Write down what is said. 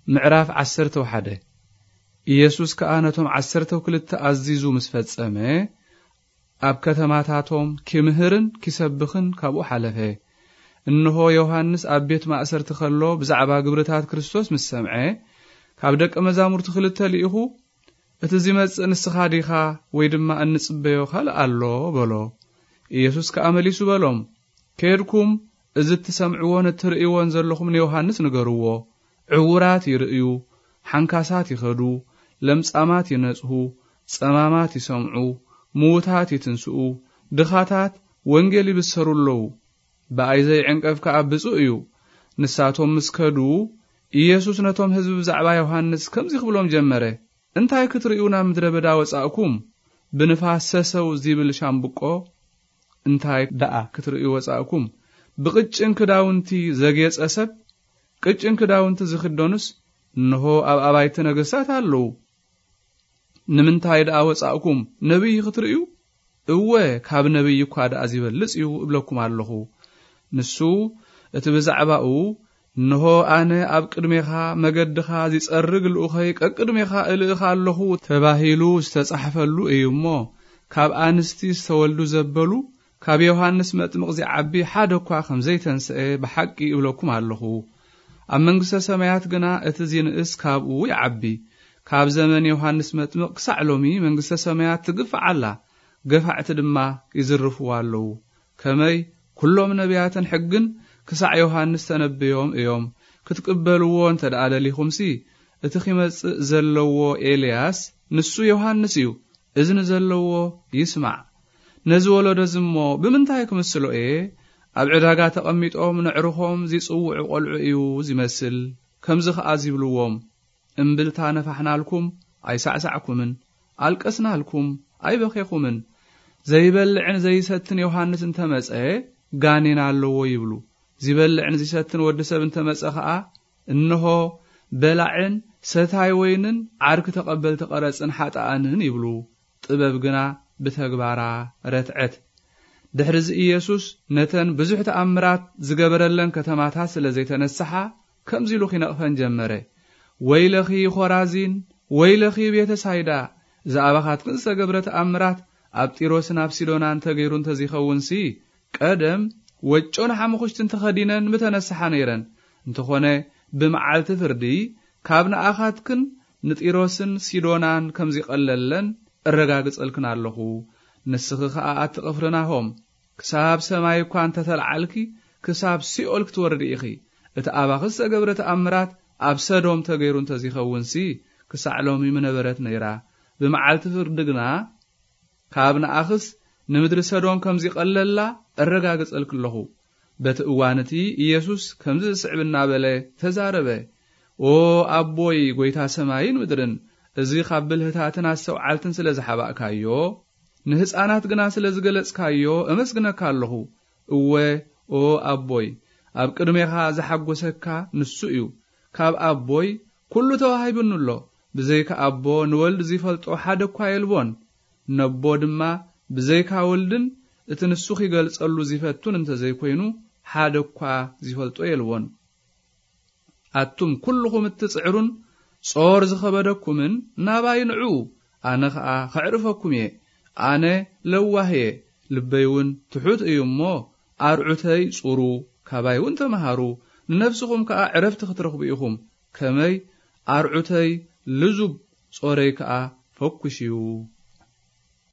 ምዕራፍ ዓሰርተ ሓደ። ኢየሱስ ከኣ ነቶም ዓሰርተ ክልተ ኣዚዙ ምስ ፈጸመ፣ ኣብ ከተማታቶም ኪምህርን ኪሰብኽን ካብኡ ሓለፈ። እንሆ፣ ዮሃንስ ኣብ ቤት ማእሰርቲ ከሎ ብዛዕባ ግብርታት ክርስቶስ ምስ ሰምዐ፣ ካብ ደቀ መዛሙርቲ ክልተ ልኢኹ፣ "እቲ ዚመጽእ ንስኻ ዲኻ፣ ወይ ድማ እንጽበዮ ካልእ ኣሎ?" በሎ። ኢየሱስ ከኣ መሊሱ በሎም፣ "ኬድኩም፣ እዚ እትሰምዕዎን እትርእይዎን ዘለኹም ንዮሃንስ ንገርዎ። ዕዉራት ይርእዩ፣ ሓንካሳት ይኸዱ፣ ለምጻማት ይነጽሁ፣ ጸማማት ይሰምዑ፣ ምዉታት ይትንስኡ፣ ድኻታት ወንጌል ይብሰሩ ኣለዉ። ብኣይ ዘይዕንቀፍ ከኣ ብጹእ እዩ።" ንሳቶም ምስ ከዱ፣ ኢየሱስ ነቶም ህዝቢ ብዛዕባ ዮሃንስ ከምዚ ክብሎም ጀመረ፣ "እንታይ ክትርእዩ ናብ ምድረ በዳ ወጻእኩም? ብንፋስ ሰሰው ዚብል ሻምብቆ? እንታይ ደኣ ክትርእዩ ወጻእኩም? ብቕጭን ክዳውንቲ ዘጌጸ ሰብ? ቅጭን ክዳውንቲ ዝኽደኑስ እንሆ ኣብ ኣባይቲ ነገስታት ኣለዉ። ንምንታይ ደኣ ወጻእኩም? ነቢይ ክትርእዩ? እወ፣ ካብ ነቢይ እኳ ደኣ ዚበልጽ እዩ እብለኩም ኣለኹ። ንሱ እቲ ብዛዕባኡ፣ 'እንሆ ኣነ ኣብ ቅድሜኻ መገድኻ ዚጸርግ ልኡኸይ ቀቅድሜኻ እልእኻ ኣለኹ' ተባሂሉ ዝተጻሕፈሉ እዩ እሞ፣ ካብ ኣንስቲ ዝተወልዱ ዘበሉ ካብ ዮሃንስ መጥምቕ ዚዓቢ ሓደ እኳ ከም ዘይተንስአ ብሓቂ እብለኩም ኣለኹ። ኣብ መንግስተ ሰማያት ግና እቲ ዚንእስ ካብኡ ይዓቢ። ካብ ዘመን ዮሃንስ መጥምቕ ክሳዕ ሎሚ መንግስተ ሰማያት ትግፋዕ ኣላ፣ ገፋዕቲ ድማ ይዝርፍዋ ኣለዉ። ከመይ ኩሎም ነቢያትን ሕግን ክሳዕ ዮሃንስ ተነብዮም እዮም። ክትቅበልዎ እንተ ደኣ ደሊኹምሲ፣ እቲ ኺመጽእ ዘለዎ ኤልያስ ንሱ ዮሃንስ እዩ። እዝኒ ዘለዎ ይስማዕ። ነዚ ወለዶ እዚ እሞ ብምንታይ ክምስሎ እየ? ኣብ ዕዳጋ ተቐሚጦም ነዕርኾም ዚጽውዑ ቈልዑ እዩ ዚመስል። ከምዚ ኸኣ ዚብልዎም፣ 'እምብልታ ነፋሕናልኩም፣ ኣይሳዕሳዕኩምን፣ ኣልቀስናልኩም፣ ኣይበኼኹምን። ዘይበልዕን ዘይሰትን ዮሃንስ እንተ መጸ፣ ጋኔን ኣለዎ' ይብሉ። ዚበልዕን ዚሰትን ወዲ ሰብ እንተ መጸ ኸኣ፣ እንሆ፣ በላዕን ሰታይ ወይንን ዓርኪ ተቐበልቲ ቀረጽን ሓጥኣንን ይብሉ። ጥበብ ግና ብተግባራ ረትዐት። ድሕርዚ ኢየሱስ ነተን ብዙሕ ተኣምራት ዝገበረለን ከተማታት ስለ ዘይተነስሓ፣ ከምዚ ኢሉ ኺነቕፈን ጀመረ፣ "ወይለኺ ኾራዚን፣ ወይለኺ ቤተ ሳይዳ፣ እዚ ኣባኻትክን ዝተገብረ ተኣምራት ኣብ ጢሮስን ኣብ ሲዶናን ተገይሩ እንተ ዘይኸውንሲ፣ ቀደም ወጮን ሓሙኽሽትን ተኸዲነን ምተነስሓ ነይረን። እንተኾነ፣ ብመዓልቲ ፍርዲ ካብ ንኣኻትክን ንጢሮስን ሲዶናን ከም ዚቐለለን እረጋግጸልክን ኣለኹ። ንስኺ ኸኣ ኣቲ ቅፍርናሆም፣ ክሳብ ሰማይ እኳ እንተ ተለዓልኪ፣ ክሳብ ሲኦል ክትወርዲ ኢኺ። እቲ ኣባኺ ዝተገብረ ተኣምራት ኣብ ሰዶም ተገይሩ እንተ ዘይኸውንሲ፣ ክሳዕ ሎሚ ምነበረት ነይራ። ብመዓልቲ ፍርዲ ግና ካብ ንኣኽስ ንምድሪ ሰዶም ከም ዚቐለላ እረጋግጸልኪ ኣለኹ።" በቲ እዋን እቲ ኢየሱስ ከምዚ ዝስዕብ እናበለ ተዛረበ፣ "ኦ ኣቦይ፣ ጐይታ ሰማይን ምድርን፣ እዚ ኻብ ብልህታትን ኣስተውዓልትን ስለ ዝሓባእካዮ፣ ንህፃናት ግና ስለ ዝገለጽካዮ እመስግነካ ኣለኹ። እወ፣ ኦ ኣቦይ፣ ኣብ ቅድሜኻ ዝሓጎሰካ ንሱ እዩ። ካብ ኣቦይ ኩሉ ተዋሂቡኒ ኣሎ። ብዘይካ ኣቦ ንወልድ ዚፈልጦ ሓደ እኳ የልቦን። ነቦ ድማ ብዘይካ ወልድን እቲ ንሱ ኺገልጸሉ ዚፈቱን እንተ ዘይኮይኑ፣ ሓደ እኳ ዚፈልጦ የልቦን። ኣቱም ኩልኹም እትጽዕሩን ጾር ዝኸበደኩምን፣ ናባይ ንዑ፣ ኣነ ኸኣ ኸዕርፈኩም እየ። ኣነ ለዋህ እየ፣ ልበይ እውን ትሑት እዩ እሞ፣ ኣርዑተይ ጹሩ፣ ካባይ እውን ተመሃሩ፣ ንነፍስኹም ከኣ ዕረፍቲ ክትረኽቡ ኢኹም። ከመይ ኣርዑተይ ልዙብ፣ ጾረይ ከኣ ፈኲስ እዩ።